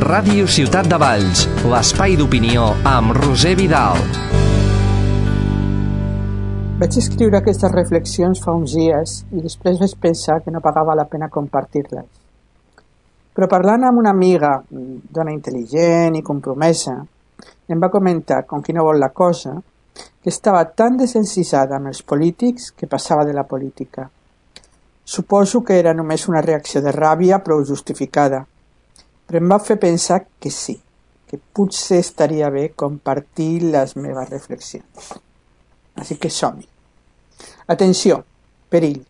Ràdio Ciutat de Valls, l'espai d'opinió amb Roser Vidal. Vaig escriure aquestes reflexions fa uns dies i després vaig pensar que no pagava la pena compartir-les. Però parlant amb una amiga, dona intel·ligent i compromesa, em va comentar, com qui no vol la cosa, que estava tan desencisada amb els polítics que passava de la política. Suposo que era només una reacció de ràbia prou justificada, però em va fer pensar que sí, que potser estaria bé compartir les meves reflexions. Així que som-hi. Atenció, perill.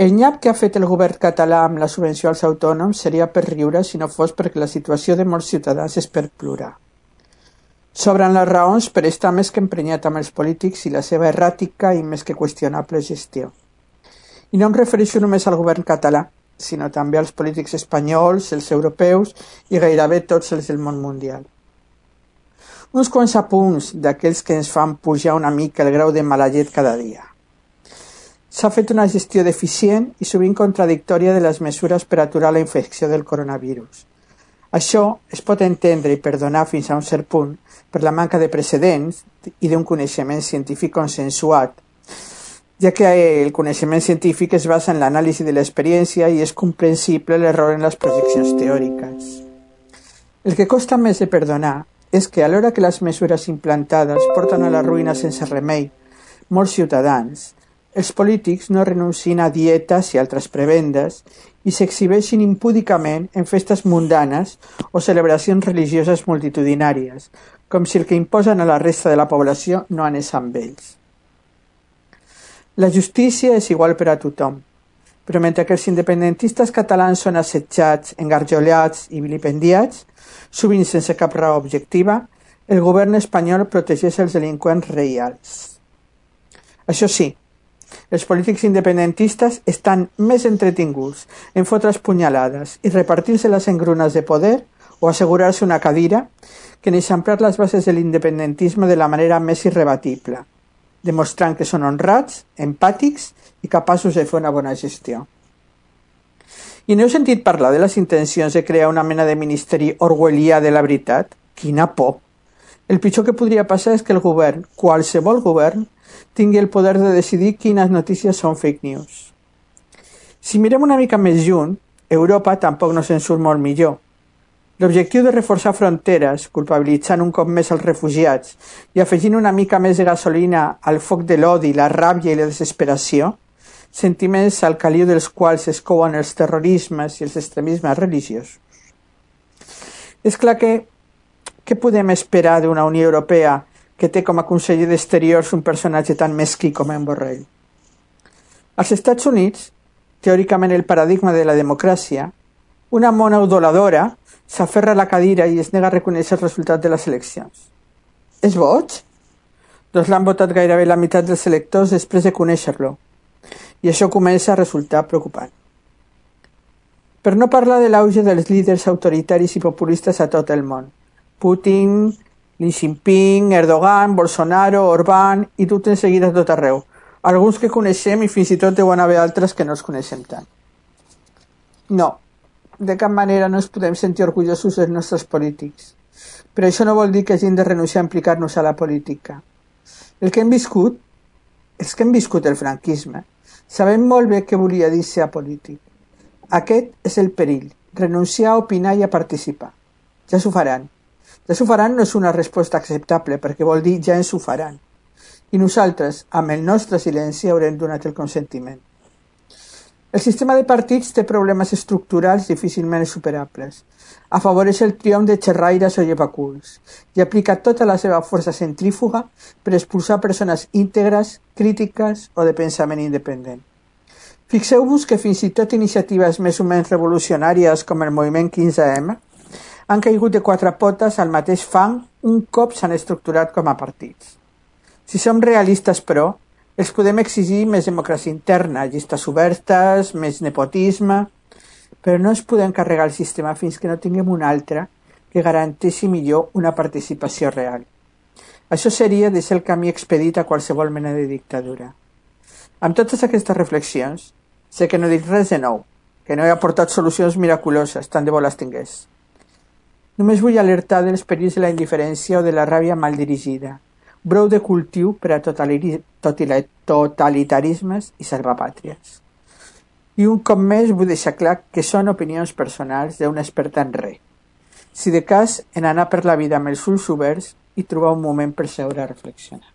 El nyap que ha fet el govern català amb la subvenció als autònoms seria per riure si no fos perquè la situació de molts ciutadans és per plorar. Sobren les raons per estar més que emprenyat amb els polítics i la seva erràtica i més que qüestionable gestió. I no em refereixo només al govern català, sinó també als polítics espanyols, els europeus i gairebé tots els del món mundial. Uns quants apunts d'aquells que ens fan pujar una mica el grau de mala llet cada dia. S'ha fet una gestió deficient i sovint contradictòria de les mesures per aturar la infecció del coronavirus. Això es pot entendre i perdonar fins a un cert punt per la manca de precedents i d'un coneixement científic consensuat, ja que el coneixement científic es basa en l'anàlisi de l'experiència i és comprensible l'error en les projeccions teòriques. El que costa més de perdonar és que alhora que les mesures implantades porten a la ruïna sense remei molts ciutadans, els polítics no renuncien a dietes i altres prebendes i s'exhibeixin impúdicament en festes mundanes o celebracions religioses multitudinàries, com si el que imposen a la resta de la població no anés amb ells. La justícia és igual per a tothom, però mentre que els independentistes catalans són assetjats, engarjolats i vilipendiats, sovint sense cap raó objectiva, el govern espanyol protegeix els delinqüents reials. Això sí, els polítics independentistes estan més entretinguts en fotre's punyalades i repartir-se les engrunes de poder o assegurar-se una cadira que en eixamplar les bases de l'independentisme de la manera més irrebatible, demostrant que són honrats, empàtics i capaços de fer una bona gestió. I no heu sentit parlar de les intencions de crear una mena de ministeri orwellià de la veritat? Quina por! El pitjor que podria passar és que el govern, qualsevol govern, tingui el poder de decidir quines notícies són fake news. Si mirem una mica més lluny, Europa tampoc no se'n surt molt millor. L'objectiu de reforçar fronteres, culpabilitzant un cop més els refugiats i afegint una mica més de gasolina al foc de l'odi, la ràbia i la desesperació, sentiments al caliu dels quals es couen els terrorismes i els extremismes religiosos. És clar que què podem esperar d'una Unió Europea que té com a conseller d'Exteriors un personatge tan mesquí com en Borrell? Als Estats Units, teòricament el paradigma de la democràcia, una mona udoladora s'aferra a la cadira i es nega a reconèixer el resultat de les eleccions. És boig? Doncs l'han votat gairebé la meitat dels electors després de conèixer-lo. I això comença a resultar preocupant. Per no parlar de l'auge dels líders autoritaris i populistes a tot el món. Putin, Xi Jinping, Erdogan, Bolsonaro, Orbán i tot en seguida a tot arreu. Alguns que coneixem i fins i tot deuen haver altres que no els coneixem tant. No, de cap manera no ens podem sentir orgullosos dels nostres polítics. Però això no vol dir que hagin de renunciar a implicar-nos a la política. Els que hem viscut el franquisme, sabem molt bé què volia dir ser apolític. Aquest és el perill, renunciar a opinar i a participar. Ja s'ho faran. Ja s'ho faran no és una resposta acceptable, perquè vol dir ja ens ho faran. I nosaltres, amb el nostre silenci, haurem donat el consentiment. El sistema de partits té problemes estructurals difícilment superables. Afavoreix el triomf de xerraires o llevaculs i aplica tota la seva força centrífuga per expulsar persones íntegres, crítiques o de pensament independent. Fixeu-vos que fins i tot iniciatives més o menys revolucionàries com el moviment 15M han caigut de quatre potes al mateix fang un cop s'han estructurat com a partits. Si som realistes, però, els podem exigir més democràcia interna, llistes obertes, més nepotisme, però no ens podem carregar el sistema fins que no tinguem un altre que garanteixi millor una participació real. Això seria deixar el camí expedit a qualsevol mena de dictadura. Amb totes aquestes reflexions, sé que no he dit res de nou, que no he aportat solucions miraculoses, tant de bo les tingués. Només vull alertar dels perills de la indiferència o de la ràbia mal dirigida, brou de cultiu per a totalitarismes i salvapàtries. I un cop més vull deixar clar que són opinions personals d'un expert en res. Si de cas, en anar per la vida amb els ulls oberts i trobar un moment per seure a reflexionar.